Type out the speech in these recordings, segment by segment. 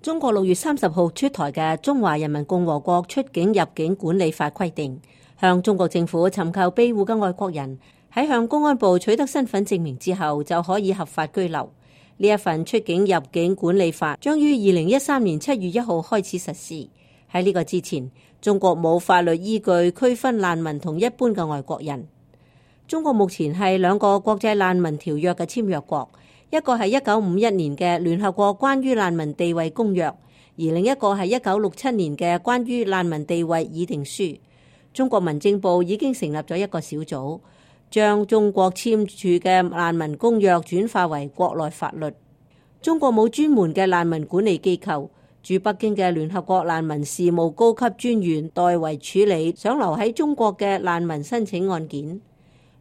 中國6月30號出台嘅《中華人民共和國出境入境管理法》規定，向中國政府尋求庇護嘅外國人喺向公安部取得身份證明之後，就可以合法居留。呢一份出境入境管理法將於2013年7月1號開始實施。喺呢個之前，中國冇法律依據區分難民同一般嘅外國人。中國目前係2個國際難民條約嘅簽約國，一個係1951年嘅聯合國關於難民地位公約，而另一個係1967年嘅關於難民地位議定書。中國民政部已經成立咗一個小組，將中國簽署嘅難民公約轉化為國內法律。中國冇專門嘅難民管理機構，駐北京嘅聯合國難民事務高級專員代為處理想留喺中國嘅難民申請案件。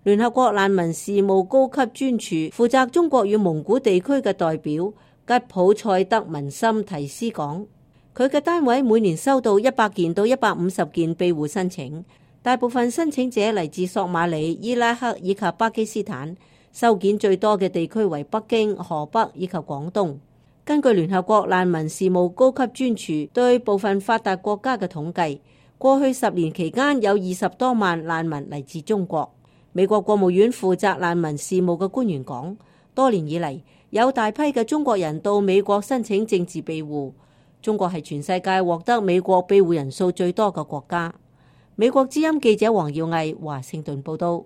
聯合國難民事務高級專署負責中國與蒙古地區嘅代表吉普賽德文森提斯講，佢嘅單位每年收到100件到150件庇護申請，大部分申請者嚟自索馬里、伊拉克以及巴基斯坦，收件最多嘅地區為北京、河北以及廣東。根據聯合國難民事務高級專署對部分發達國家嘅統計，過去10年期間有20多萬難民嚟自中國。美國國務院負責難民事務嘅官員講，多年以嚟有大批嘅中國人到美國申請政治庇護。中國係全世界獲得美國庇護人數最多嘅國家。美國之音記者黃耀毅華盛頓報道。